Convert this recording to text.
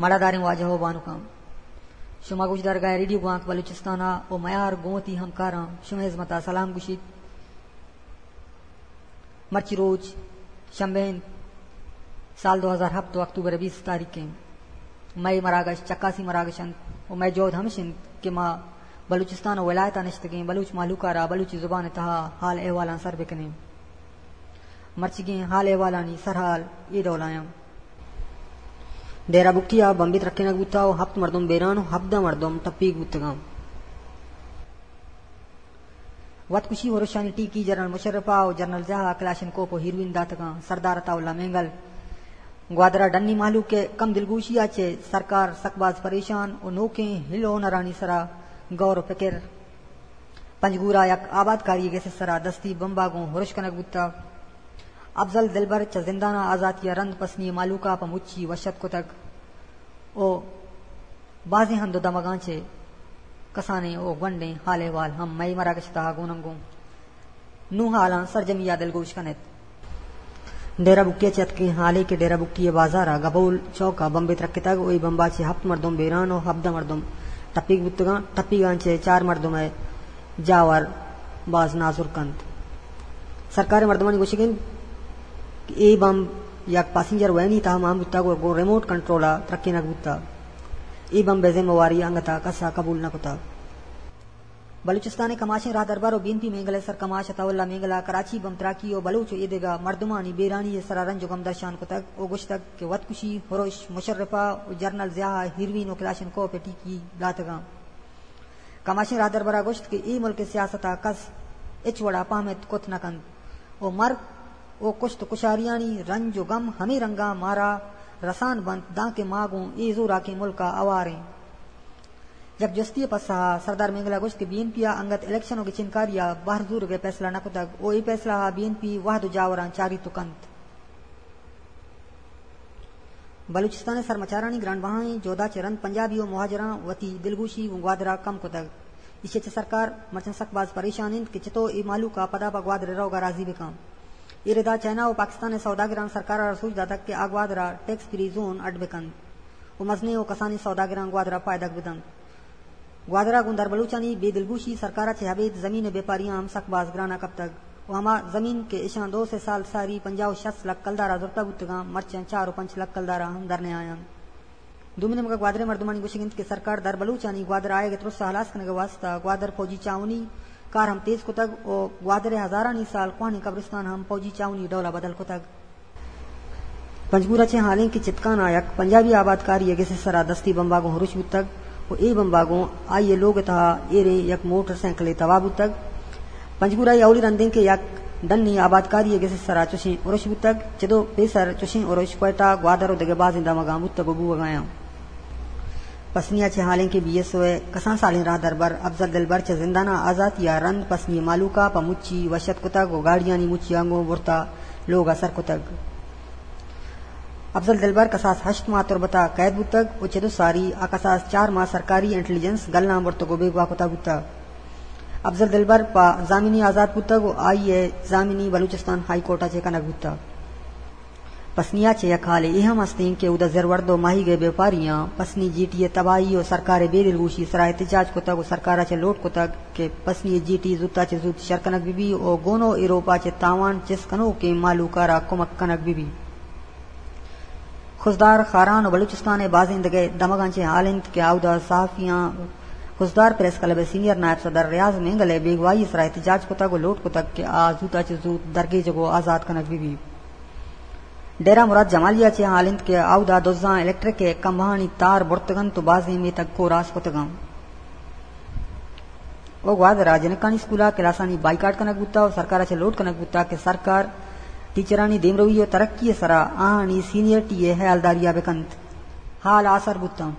مڑاداریں واجہ و بانکاں، شما گوشدارگا ریڈیو گوانک بلوچستان ء و میار گوں وتی ہمکاراں شمئے ہزمت ء سلام گوشیت۔ مرچی روچ شنبہ انت، سال دو ہزار ہپت و اکتوبر بیست تاریخ انت۔ مئے مراگش چکاسی مراگش انت و مئے جہد ہمش انت کہ ما بلوچستان و ولایتاں نشتگیں بلوچ مہلوک ء را بلوچی زبان ء تہا حال احوالاں سر بکنیں۔ مرچیگیں حال احوالانی سرحال اے ڈول آیاں۔ ڈیرہ بگٹی ء بمبے ترکینگ بوتا و ہپت مردم بیران و ہبدہ مردم ٹپیگ بوتگاں۔ وت کشی ہرشانی ٹیکی جنرل مشرف ء و جنرل ضیاء ء کلاشنکوپ و ہیروئن داتگاں۔ سردار عطا اللہ مینگل۔ گوادر ء ڈنی مہلوک ء کم دلگوشی ء چہ سرکار سک باز پریشان و نوکیں ہل ہنرانی سرا غور و فکر۔ پنجگور ء یک آبادکاری ء گس ء سرا دستی بمب ء گوں ہرش کنگ بوتگ۔ افضل دلبر چہ زندان ء آزاتی ء رند پسنی ء مہلوک ء پہ مچی وشت کتگ و بازیں ہند و دمگاں چہ کسانیں و گونڈیں حال احوال ہم مئے مراگش ء تہا گوننگوں۔ نوں حالاں سرجمی ء دلگوش کن ات۔ ڈیرہ بگٹی ء چہ اتکگیں حالے کہ ڈیرہ بگٹی ء بازار ء گبول چوک ء بمبے ترکتگ و اے بمب ء چہ ہپت مردم بیران و ہبدہ مردم ٹپیگ بوتگاں۔ ٹپیگاں چہ چار مردم ء جاور باز نازرک انت۔ سرکار ء مردمانی گوشگ انت کہ اے بمب یک پاسنجر وینی تہا مان بوتگ و گوں ریموٹ کنٹرول ء ترکینگ بوتگ۔ اے بمب ء ذمہ واری انگت ء کس ء قبول نہ کتگ۔ بلوچستان ء کماشیں راہدربر و بی این پی مینگل ء سرکماش عطا اللہ مینگل ء کراچی بمب تراکی و بلوچ و ایدگہ مردمانی بیرانی ء سرا رنج و غم درشان کتگ و گوشتگ کہ وتکشی، ہرش، مشرف ء و جنرل ضیاء ء ہیروین و کلاشنکوپ ء ٹیکی داتگاں۔ کماشیں راہدربر ء گوشت کہ اے ملک ء سیاست ء کس ہچ وڑا پہمت کت نہ کنت و مرگ و کشت و کشاریانی رنج و غم ہمے رنگا مارا رسان بنت، دانکہ ما گوں اے زوراکیں ملک ء ہوار ایں۔ یک جستی ء پسہ ء سردار مینگل ء گوشت کہ بی این پی ء انگت الیکشن و گچینکاری ء بہر زورگ ء پیسلہ نہ کتگ و اے پیسلہ ء بی این پی وہد و جاوراں چاریت و کنت۔ بلوچستان ء سرمچارانی گرانبہائیں جہد ء چہ رند پنجابی و مہاجراں وتی دلگوشی گوں گوادر ء کم کتگ۔ ایشی ء چہ سرکار مرچاں سک باز پریشان انت کہ چتو اے مہلوک ء پدا پہ گوادر ء روگ ء راضی بکن۔ اے ردا چائنا و پاکستان ء سوداگراں سرکار ء را سوج داتگ کہ آ گوادر ء ٹیکس فری زون اڈ بکنت و مزنیں و کسانیں سوداگراں گوادر ء پائدگ بدنت۔ گوادر ء گوں دربلوچانی بے دلگوشی سرکار ء چہ ابید زمین ء بیپاریاں ہم سک باز گران ء کپتگ و ہما زمین کہ اشاں دو سے سال ساری پنجاہ و شست لکھ کلدار ء زرتہ بوتگاں، مرچاں چار و پنچ لکھ کلدار ء ہم در نیاینت۔ دومی نیمگ ء گوادر ء مردمانی گوشگ انت کہ سرکار دربلوچانی گوادر ء آیگ ء ترس ء ہلاس کنگ ء واستہ گوادر فوجی چاونی کار ہم تیز کتگ و گوادر ء ہزارانی سال کوہنیں قبرستان ہم فوجی چاونی ڈول ء بدل کتگ۔ پنجگور ء چہ حالیں کہ چتکان ء یک پنجابی آبادکاری ء گس ء سرا دستی بمبا گوں ہرش بوتگ و اے بمبا گوں آئی ء لوگ ء تہا ایریں یک موٹر سائیکلے تباہ بوتگ۔ پنجگور ء اے اولی رندیں کہ یک ڈنی آبادکاری ء گس ء سرا چشیں ہرش بوتگ۔ چدو پیسر چشیں ہرش کوئٹہ، گوادر و دگہ بازیں دمگاں بوتگ و بوگ ء آیاں۔ پسنی ء چہ حالیں کہ بی ایس او ء کسان سالیں راہدربر افضل دلبر چہ زندان ء آزاتی ء رند پسنی ء مہلوک ء پہ مچی وشت کتگ و گاڑیانی مچیاں گوں برتہ لوگ ء سر کتگ۔ افضل دلبر کساس ہشت ماہ تربت ء قید بوتگ و چدو ساری ء کساس چار ماہ سرکاری انٹیلیجنس گلاں برتگ و بیگواہ کتہ بوتگ۔ افضل دلبر پہ زامنی آزات بوتگ و آئی ء زامنی بلوچستان ہائی کورٹ ء چہ کنگ بوتگ۔ پسنی ء چہ یک حالے اے ہم استیں کہ اودا زرورد و ماہیگ ء بیپاریاں پسنی جیٹی ء تباہی و سرکار ء بے دلگوشی سرا احتجاج کتگ و سرکار ء چہ لوٹ کتگ کہ پسنی ء جیٹی زوت ء چہ زوت شر کنگ بہ بی و گون و ایروپ ء چہ تاوان چست کنوکیں مہلوک ء را کمک کنگ بہ بی۔ خضدار، خاران و بلوچستان ء بازیں دگہ دمگاں چہ حال انت کہ اودا صحافیاں خضدار پریس کلب ء سینئر نائب صدر ریاض مینگل ء بیگواہی ء سرا احتجاج کتگ و لوٹ کتگ کہ آ زوت ء چہ زوت درگیجگ و آزاد کنگ بہ بی۔ ڈیرہ مراد جمالی ء چہ حال انت کہ اودا دزاں الیکٹرک ء کمبہانی تار برتگ انت و بازیں میتگ کوراس کتگ انت۔ و گوادر ء جنکانی اسکول ء کلاسانی بائیکاٹ کنگ بوتگ و سرکار ء چہ لوٹ کنگ بوتگ کہ سرکار ٹیچرانی دیمروی و ترقی ء سرا آہانی سینئرٹی ء ہیالداری ء بہ کنت۔ حال آسر بوتاں۔